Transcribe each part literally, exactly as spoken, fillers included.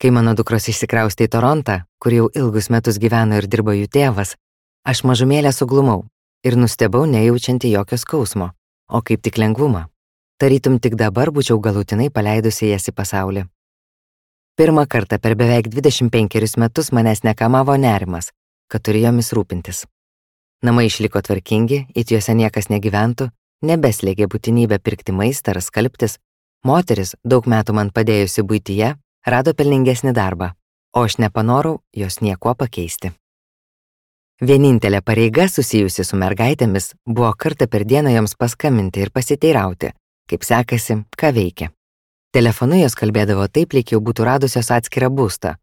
Kai mano dukros išsikraustė į Torontą, kur jau ilgus metus gyveno ir dirbo jų tėvas, aš mažumėlę suglumau ir nustebau nejaučianti jokio skausmo, o kaip tik lengvumą. Tarytum tik dabar būčiau galutinai paleidusi jas į pasaulį. Pirmą kartą per beveik dvidešimt penkerius metus manęs nekamavo nerimas, kad turiu jomis rūpintis. Namai išliko tvarkingi, it juose niekas negyventų, nebeslėgė būtinybę pirkti maistą ar skalbtis, moteris, daug metų man padėjusi buityje, rado pelningesnį darbą, o aš nepanorau jos niekuo pakeisti. Vienintelė pareiga susijusi su mergaitėmis buvo kartą per dieną joms paskambinti ir pasiteirauti, kaip sekasi, ką veikia. Telefonu jos kalbėdavo taip, lyg jau būtų radusios atskirą būstą.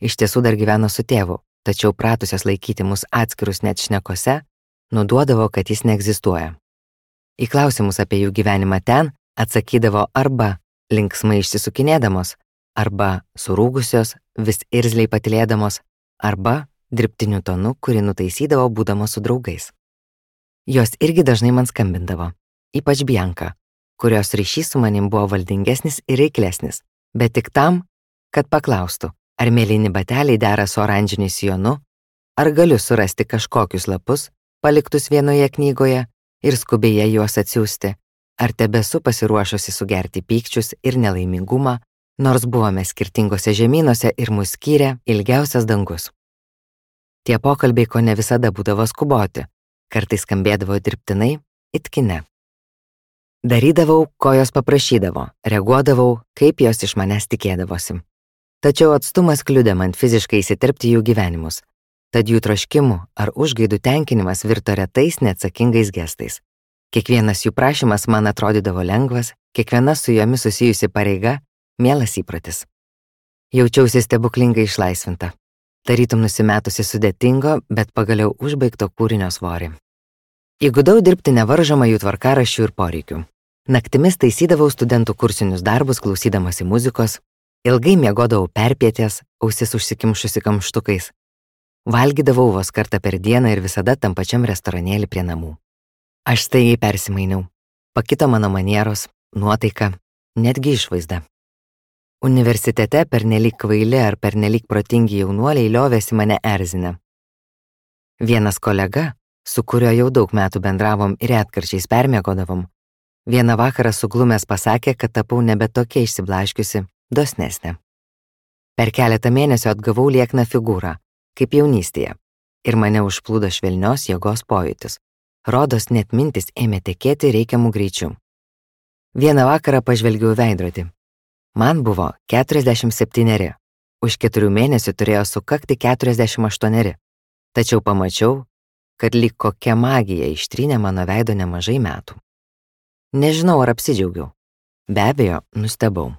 Iš tiesų dar gyveno su tėvu, tačiau pratusios laikyti mus atskirus net šnekose, nuduodavo, kad jis neegzistuoja. Į klausimus apie jų gyvenimą ten atsakydavo arba linksmai išsisukinėdamos, arba surūgusios, vis irzliai patylėdamos, arba dirbtiniu tonu, kurį nutaisydavo būdamos su draugais. Jos irgi dažnai man skambindavo, ypač Bianka, kurios ryšys su manim buvo valdingesnis ir reiklesnis, bet tik tam, kad paklaustų, ar mėlyni bateliai dera su oranžiniu sijonu, ar galiu surasti kažkokius lapus, paliktus vienoje knygoje ir skubiai juos atsiųsti, ar tebesu pasiruošusi sugerti pykčius ir nelaimingumą, nors buvome skirtingose žemynuose ir mus skyrė ilgiausias dangus. Tie pokalbiai ko ne visada būdavo skuboti, kartais skambėdavo dirbtinai, it kine. Darydavau, ko jos paprašydavo, reaguodavau, kaip jos iš manęs tikėdavosi. Tačiau atstumas kliudė man fiziškai įsiterpti jų gyvenimus, tad jų troškimų ar užgaidų tenkinimas virto retais neatsakingais gestais. Kiekvienas jų prašymas man atrodydavo lengvas, kiekviena su jomis susijusi pareiga mielas įpratis. Jaučiausi stebuklingai išlaisvinta, tarytum nusimetusi sudėtingo, bet pagaliau užbaigto kūrinio svorį. Įgudau dirbti nevaržomą jų tvarkaraščių ir poreikių. Naktimis taisydavau studentų kursinius darbus klausydamasi muzikos, ilgai miegodavau perpietės, ausis užsikimšusi kamštukais. Valgydavau vos kartą per dieną ir visada tam pačiam restoranėlį prie namų. Aš staigiai persimainiau. Pakito mano manieros, nuotaika, netgi išvaizda. Universitete pernelyg kvaili ar pernelyg protingi jaunuoliai liovėsi mane erzinę. Vienas kolega, su kuriuo jau daug metų bendravom ir retkarčiais permiegodavom, vieną vakarą suglumęs pasakė, kad tapau nebe tokia išsiblaškiusi, dosnesnė. Per keletą mėnesių atgavau liekną figūrą, kaip jaunystėje, ir mane užplūdo švelnios jėgos pojūtis. Rodos net mintis ėmė tekėti reikiamų greičių. Vieną vakarą pažvelgiau veidrodį. Man buvo keturiasdešimt septyneri, už keturių mėnesių turėjo sukakti keturiasdešimt aštuoneri, tačiau pamačiau, kad lyg kokia magija ištrynė mano veido nemažai metų. Nežinau, ar apsidžiaugiau. Be abejo, nustebau.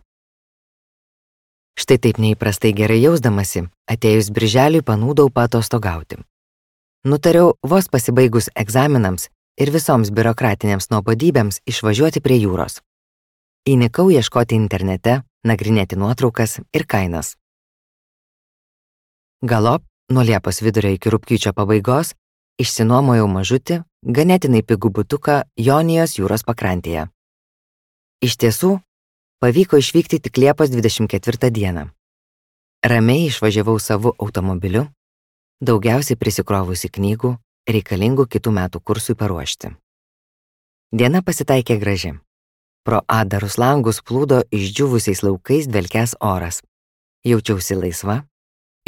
Štai taip neįprastai gerai jausdamasi, atėjus birželiui panūdau paatostogauti. Nutariau vos pasibaigus egzaminams ir visoms biurokratinėms nuobodybėms išvažiuoti prie jūros. Įnikau ieškoti internete, nagrinėti nuotraukas ir kainas. Galop, nuo Liepos vidurio iki rugpjūčio pabaigos, išsinuomojau mažutį, ganėtinai pigų butuką Jonijos jūros pakrantėje. Iš tiesų, pavyko išvykti tik Liepos dvidešimt ketvirtą dieną. Ramiai išvažiavau savu automobiliu, daugiausiai prisikrovusi knygų, reikalingų kitų metų kursui paruošti. Diena pasitaikė graži. Pro atdarus langus plūdo išdžiūvusiais laukais dvelkęs oras. Jaučiausi laisva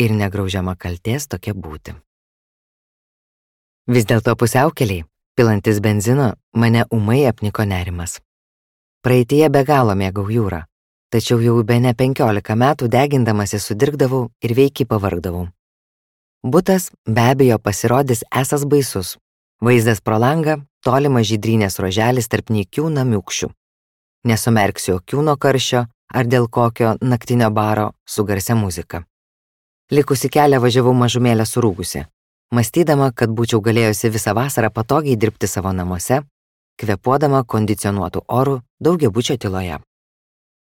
ir negraužiama kaltės tokia būti. Vis dėlto pusiaukeliai, pilantis benzino, mane ūmai apniko nerimas. Praeityje be galo mėgau jūrą, tačiau jau bene penkiolika metų degindamasi sudirgdavau ir veikiai pavargdavau. Butas be abejo pasirodys esas baisus. Vaizdas pro langą, tolimas žydrynės ruoželis tarp nykių namiukščių. Nesumerksiu akių nuo karščio ar dėl kokio naktinio baro su garsia muzika. Likusi kelią važiavau mažumėlę surūgusi, mąstydama, kad būčiau galėjusi visą vasarą patogiai dirbti savo namuose, kvėpuodama kondicionuotų orų daugiabučio tyloje.